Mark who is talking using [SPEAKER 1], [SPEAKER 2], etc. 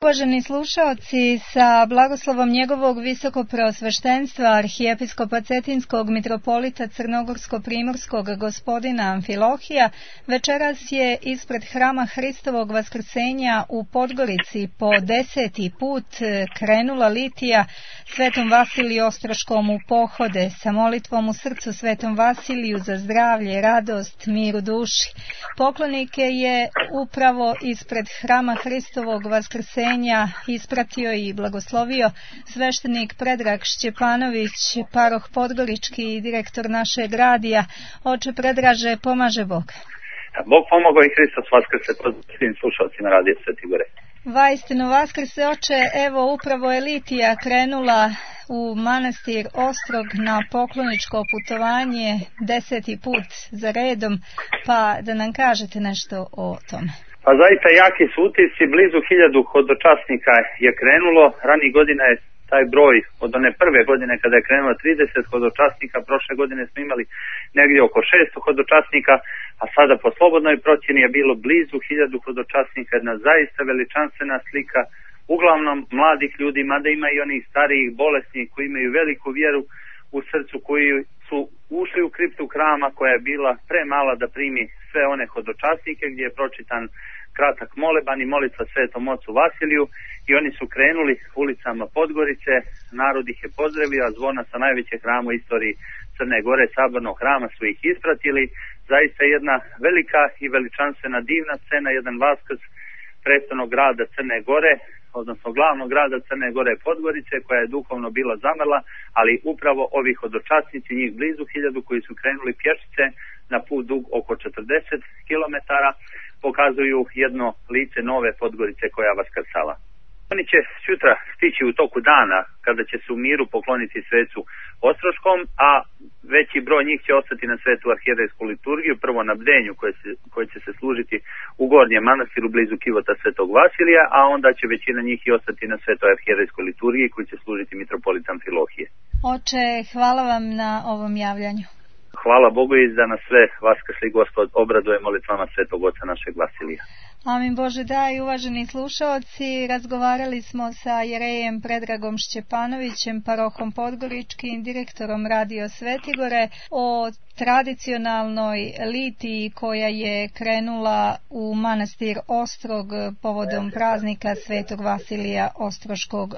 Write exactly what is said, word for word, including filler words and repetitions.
[SPEAKER 1] Uvaženi slušaoci, sa blagoslovom njegovog visokopreosveštenstva arhijepiskopa Cetinskog mitropolita Crnogorsko-primorskog gospodina Amfilohija, večeras je ispred Hrama Hristovog Vaskrsenja u Podgorici po deseti put krenula litija Svetom Vasiliju Ostroškom u pohode sa molitvom u srcu Svetom Vasiliju za zdravlje, radost, mir u duši. Poklonike je upravo ispred Hrama Hristovog Vaskrsenja ispratio i blagoslovio sveštenik Predrag Šćepanović, paroh Podgorički i direktor našeg radija. Oče Predraže, pomaže Bog.
[SPEAKER 2] Bog pomogao i Hristos vaskrse, pozdrav svim slušalcima radija Sveti Gore.
[SPEAKER 1] Vaistinu vaskrse, oče, evo upravo je litija krenula u manastir Ostrog na pokloničko putovanje deseti put za redom, pa da nam kažete nešto o tome.
[SPEAKER 2] Pa zaista jaki su utisci, blizu hiljadu hodočasnika je krenulo, ranih godina je taj broj od one prve godine kada je krenulo trideset hodočasnika, prošle godine smo imali negdje oko šesto hodočasnika, a sada po slobodnoj procjeni je bilo blizu hiljadu hodočasnika, jedna zaista veličanstvena slika, uglavnom mladih ljudi, mada ima i onih starijih bolesnih koji imaju veliku vjeru u srcu, koji su ušli u kriptu hrama koja je bila premala da primi sve one hodočasnike, gdje je pročitan kratak moleban i molitva Svetom ocu Vasiliju i oni su krenuli ulicama Podgorice, narod ih je pozdravio, a zvona sa najvećeg hrama u istoriji Crne Gore, sabornog hrama, su ih ispratili. Zaista jedna velika i veličanstvena divna scena, jedan vaskrs prestolnog grada Crne Gore, odnosno glavnog grada Crne Gore Podgorice, koja je duhovno bila zamrla, ali upravo ovi hodočasnici, njih blizu hiljadu koji su krenuli pješice na put dug oko četrdeset kilometara, pokazuju jedno lice nove Podgorice koja vaskrsala. Oni će sutra stići u toku dana kada će se u miru pokloniti svecu Ostroškom, a veći broj njih će ostati na svetu arhijerejsku liturgiju, prvo na bdenju koje, se, koje će se služiti u Gornjem manastiru blizu kivota Svetog Vasilija, a onda će većina njih i ostati na svetoj arhijerejskoj liturgiji koji će služiti mitropolit Amfilohije.
[SPEAKER 1] Oče, hvala vam na ovom javljanju.
[SPEAKER 2] Hvala Bogu i da nas sve vaskrsli Gospod obraduje molitvama Svetog Oca našeg Vasilija.
[SPEAKER 1] Amin Bože daj, uvaženi slušaoci, razgovarali smo sa jerejem Predragom Šćepanovićem, parohom Podgoričkim, direktorom Radio Svetigore, o tradicionalnoj litiji koja je krenula u manastir Ostrog povodom praznika Svetog Vasilija Ostroškog.